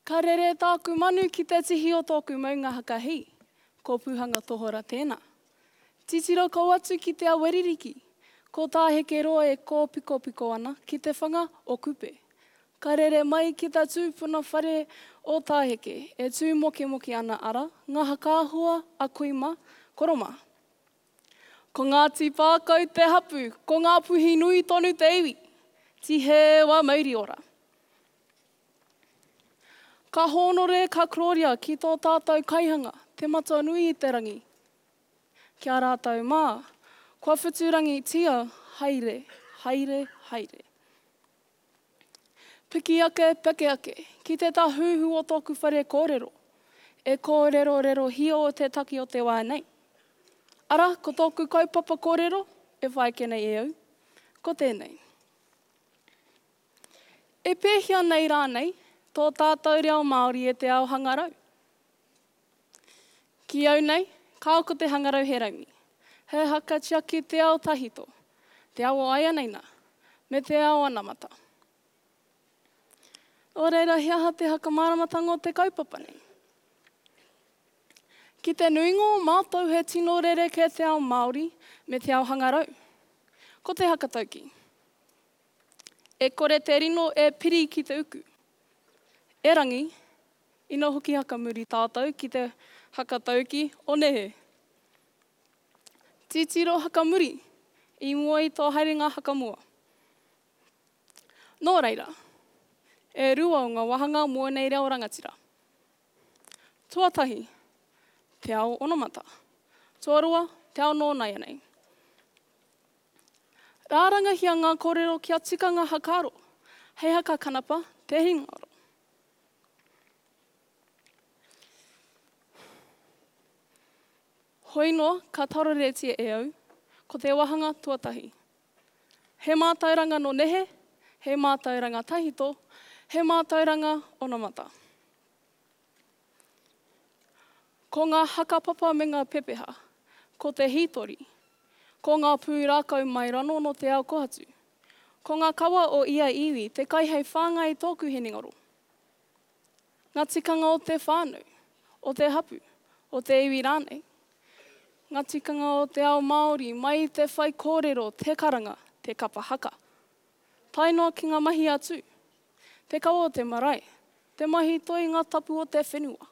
Ka rere tāku manu ki te tihi o tōku maunga hakahī, ko Pūhanga Tohora tēnā. Titiro kau atu ki te awa ririki, ko Tāhekeroa e kōpikopiko ana ki te whanga o Kupe. Ka rere mai ki ta tūpuna whare o Tāheke e tū mokemoke ana ara ngā hakaahua a kui mā, koro mā. Ko Ngāti Pākau te hapu, ko Ngāpuhi nui tonu te iwi. Tihē wa mauri ora. Ka hōnore, ka kororia ki tō tātou kaihanga, te Matua nui i te rangi. Ki a rātou mā, kua whuturangitia, haere, haere, haere. Piki ake, peke ake, ki te tāhuhu o tōku whare kōrero, e kōrerorerohia o te taki o te wā nei. Arā, ko tōku kaupapa kōrero e whai ake nei e au, ko tēnei. E pēhea nei rānei tō tātou reo Māori e te ao hangarau? Ki au nei, kāo ko te hangarau he raumi. He haka tiaki te ao tahito, te ao o āianei nā, me te ao anamata. Nō reira, he aha te hakamāramatanga o te kaupapa nei? Ki te nuinga o mātou he tino rerekē te ao Māori me te ao hangarau. Ko te hakatauki. E kore te rino e piri ki te uku. Erangi, ina hoki hakamuri tātou ki te hakatauki o nehe. Titiro hakamuri i mua i tō haerenga hakamua. Nō reira, e rua o ngā wāhanga mō ēnei reo rangatira. Tuatahi, te ao onamata. Tuarua, te ao nōnaianei. Rārangahia ngā kōrero kia tika ngā hakaaro, hei haka kanapa te hinengaro. Hoi noa ka taroretia e au, ko te wāhanga tuatahi. He mātauranga nō nehe, he mātauranga tahito, he mātauranga onamata. Ko ngā hakapapa me ngā pepeha, ko te hītori, ko ngā pūrākau mai rano nō te ao kohatu, ko ngā kawa o ia iwi te kai hei whāngai i tōku hinengaro. Ngā tikanga o te whānau, o te hapu, o te iwi rānei. Ngā tikanga o te ao Māori mai i te whaikōrero, te karanga, te kapa haka. Tae noa ki ngā mahi a Tū, te kawa o te marae, te mahi toi ngā tapu o te whenua.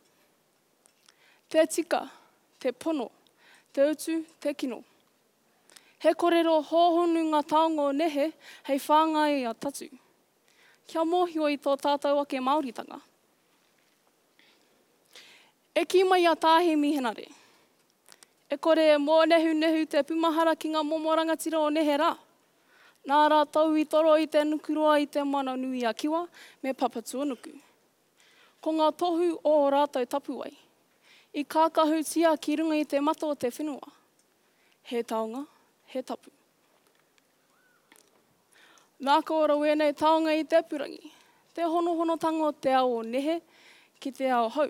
Te tika, te pono, te utu, te kino. He korero hōhonu ngā taonga o nehe hei whāngai i a tatu. Kia mōhio i tō tātou ake Māoritanga. E kī mai a Tā Hēmi Henare, E kore e mōnehunehu te pūmahara ki ngā momo rangatira o nehe rā. Nā rātou i toro i te nukuroa i Te Moana-nui-a-Kiwa me Papatuanuku. Ko ngā tohu o ō rātou tapuwae, i kākahutia ki runga i te mata o te whenua, he taonga, he tapu. Nā ka ora wēnei taonga i te purangi, te honohonotanga o te ao o nehe ki te ao hou.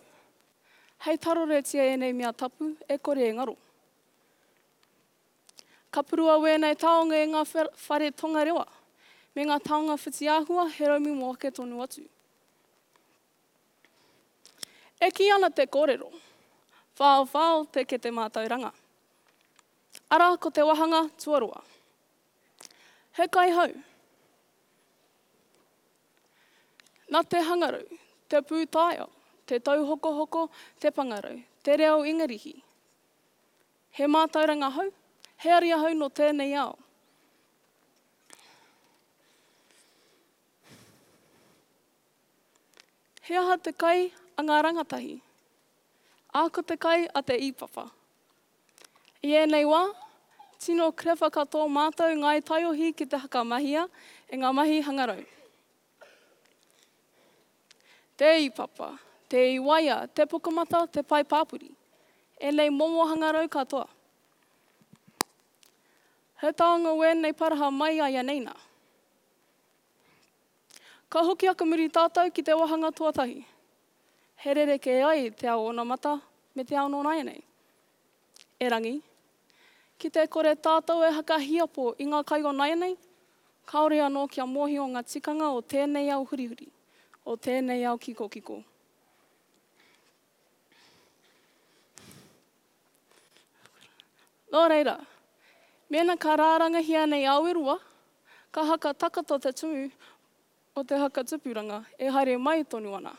Hei taroretia ēnei mea tapu e kore e ngaro. Ka purua wēnei taonga e ngā whare tongarewa, me ngā taonga whitiāhua he raumi mō ake tonu atu. E kī ana te kōrero, whaowhao te kete mātauranga. Arā ko te wahanga tuarua. He kaihau. Nā te hangarau, te pūtaiao, te tauhokohoko, te pangarau, te reo Ingarihi. He mātauranga hou, he ari ahau nō tēnei ao. He aha te kai a ngā rangatahi? Ā, ko te kai a te īpapa. I ēnei wā, tino clever katoa mātou Ngāi Taiohi ki te whakamahia e ngā mahi hangarau. Te īpapa, te īwaia, te pukamata, te pae pāpori. Ēnei momo hangarau katoa. He taonga wēnei paraha mai āianei nā. Ka hoki akamuri tātou ki te wāhanga tuatahi. He rerekē ai te ao onamata me te ao nō nāianei. Erangi, ki te kore tātou e hakahiapo i ngā kai o nāianei, kāore anō kia mōhio ngā tikanga o tēnei ao hurihuri, o tēnei ao kikokiko. Nō reira, mēnā ka rārangahia nei aweroa, ka haka takato te tumu o te haka tupuranga e haere mai tonu ana.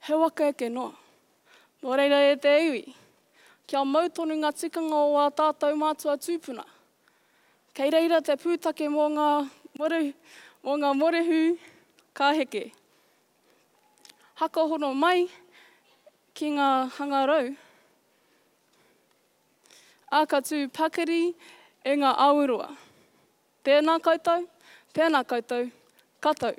He waka eke noa. Nō reira e te iwi, kia mau tonu ngā tikanga o ā tātou mātua tūpuna. Kei reira te pūtake mō ngā morehu, mō ngā morehu ka heke. Hakahono mai ki ngā hangarau, ā, ka tū pakari e ngā aweroa. Tēnā koutou, tēnā koutou, ka tau.